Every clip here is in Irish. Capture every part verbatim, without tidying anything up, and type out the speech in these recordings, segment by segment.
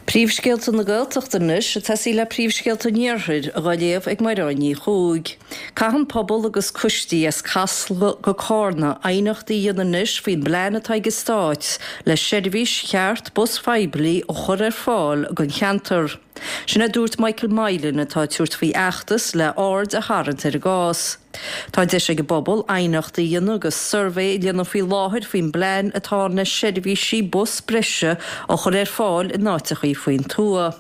Príomhscéalta na Gaeltachta anois ag tosaí le príomhscéalta an Iarthair á léamh ag Mairéad Ní Chuaig. Caitheann pobal agus coistí as Casla go Cárna aighneachtaí a dhéanamh anois faoin bplean atá ag an Stát le seirbhís cheart bus phoiblí a chur ar fáil don cheantar. Sin a dúirt Michael Mylan atá ag tabhairt faoi fheachtas le aird a tharraingt ar an gcás. Tá deis ag an bpobal aighneachtaí a dhéanamh agus suirbhé a dhéanamh faoi láthair faoin bplean atá na seirbhísí bus breise a chur ar fáil in áiteachaí faoin tuath.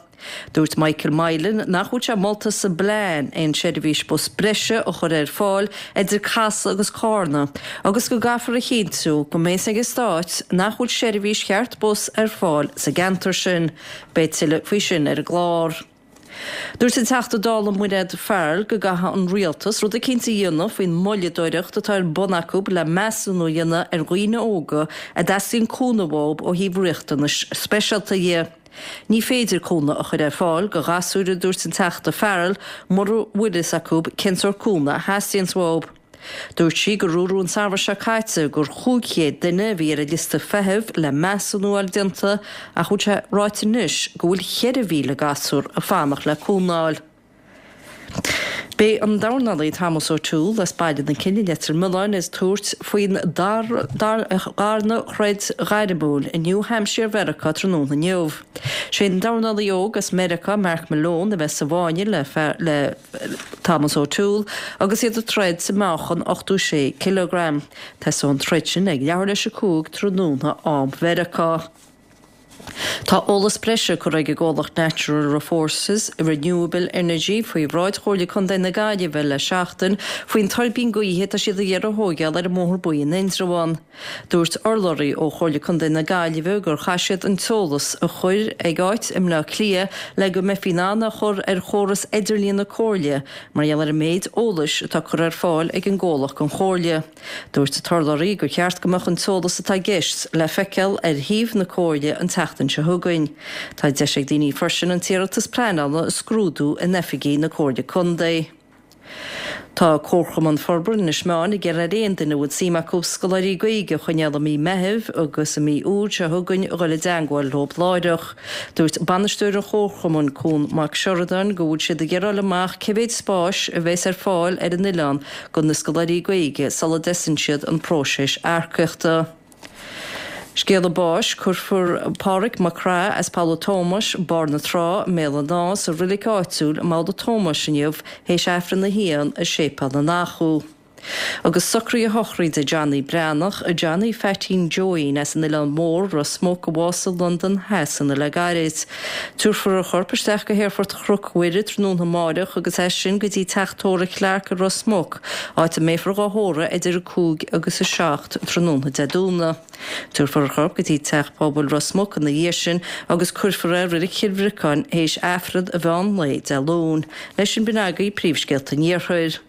Dúirt Michael Mylan nach bhfuil sé molta sa bplean aon seirbhís bus breise a chur ar fáil idir Casla agus Cárna, agus go gcaithfear a chinntiú go mbeidh ag an Stát nach bhfuil seirbhís cheart bus ar fáil sa gceantar sin. Beidh tuilleadh faoi sin ar an gclár. Dúirt an Teachta Dála Mairéad Farrell go gcaithfidh an rialtas rud eicínt a dhéanamh faoin moilleadóireacht atá ar bun acu le measúnú a dhéanamh ar dhaoine óga a dteastaíonn cúnamh uathu ó thaobh riachtanais speisialta dhe. Ní féidir cúnamh a chur ar fáil do ghasúir a dúirt an Teachta Farrell mura bhfuil fhios acu cén sórt cúnamh a theastaíonn uathu. Dúirt sí gur dúradh an samhradh seo caite gur chúig chéad duine a bhí ar an liosta feithimh le measúnú a fháil déanta ach bhfuil sé ráite anois go bhfuil ceithre mhíle gasúr ag fanacht le cúnamh a fháil. Beidh an dornálaí Thomas O'Toole as Baile na Cille i Leitir Mealláin ag tabhairt faoin darna throid ghairmiúil i New Hampshire Mheiriceá tráthnóna inniu. Sé an dornálaí óg as Meiriceá Mark Malone a bheas sa bhfáinne le le Thomas O'Toole agus iad ag troid sa meáchan ochtó sé cileagram. Tosóidh an troid sin ag leathuair théis a cúig tráthnóna am Mheiriceá. Tá eolas breise curtha ag an gcomhlacht Natural Resources Renewable Energy faoi bhráid Chomhairle Contae na Gaillimhe le seachtain faoin tuirbín gaoithe atá siad ag iarraidh a thógáil ar an mBóthar Buí in Indreabhán. Dúirt urlabhraí ó Chomhairle Contae na Gaillimhe gur chaith siad an t-eolas a chur ag áit i mBleá Cliath le go mbeifí in ann a chur ar chóras idirlíon na Comhairle mar gheall ar an méid eolais atá curtha ar fáil ag an gcomhlacht don Chomhairle. Dúirt an t-urlabhraí gur cheart go mbeadh an t-eolas atá i gceist le feiceáil ar shuíomh na Comhairle an tseachtain seo chugainn. Tá deis ag daoine freisin an t-iarratas pleanála a scrúdú in oifigí na Comhairle Contae. Tá Comharchumann Forbartha Inis Meáin ag iarraidh ar aon duine a bhfuil suim acu scoláirí Gaeilge a choinneáil i mí Meithimh agus i mí Iúil seo chugainn a dhul i dteagmháil leo láithreach. Dúirt bainisteoir an Chomharchumainn Cuan Mac Seireadáin go bhfuil siad ag iarraidh fháil amach cé mhéad spáis a bheas ar fáil ar an oileán do na scoláirí Gaeilge sula dtosaíonn siad an próiseas earcaíochta. Scéala báis, Cuirfear Pádraig Mac Craith as Poll a' Tómais, Barr na Trá, i mBéal an Átha sa reilig áitiúil i mBoll a' Tómais inniu théis Aifreann a haon i Séipéal na nAchú. Agus socruithe sochraide Johnny Breathnach, Johnny Pheaitín Joeín as an Oileán Mór, Ros Muc, a bhásaigh i Londain Shasana le gairid. Tabharfar a chorp isteach go hAerfort Chnoc Mhuire tráthnóna amáireach agus as sin go dtí teach tórraimh Clarke i Ros Muc, áit a mbeifear dhá thórramh idir a cúig agus a seacht tráthnóna Dé Domhnaigh. Tabharfar a chorp go dtí Teach Pobail Ros Muc ina dhiaidh sin agus cuirfear é i Reilig Chill Bhriocáin théis Aifreann an mheán lae Dé Luain. Leis sin b'in agaibh príomhscéalta an Iarthair.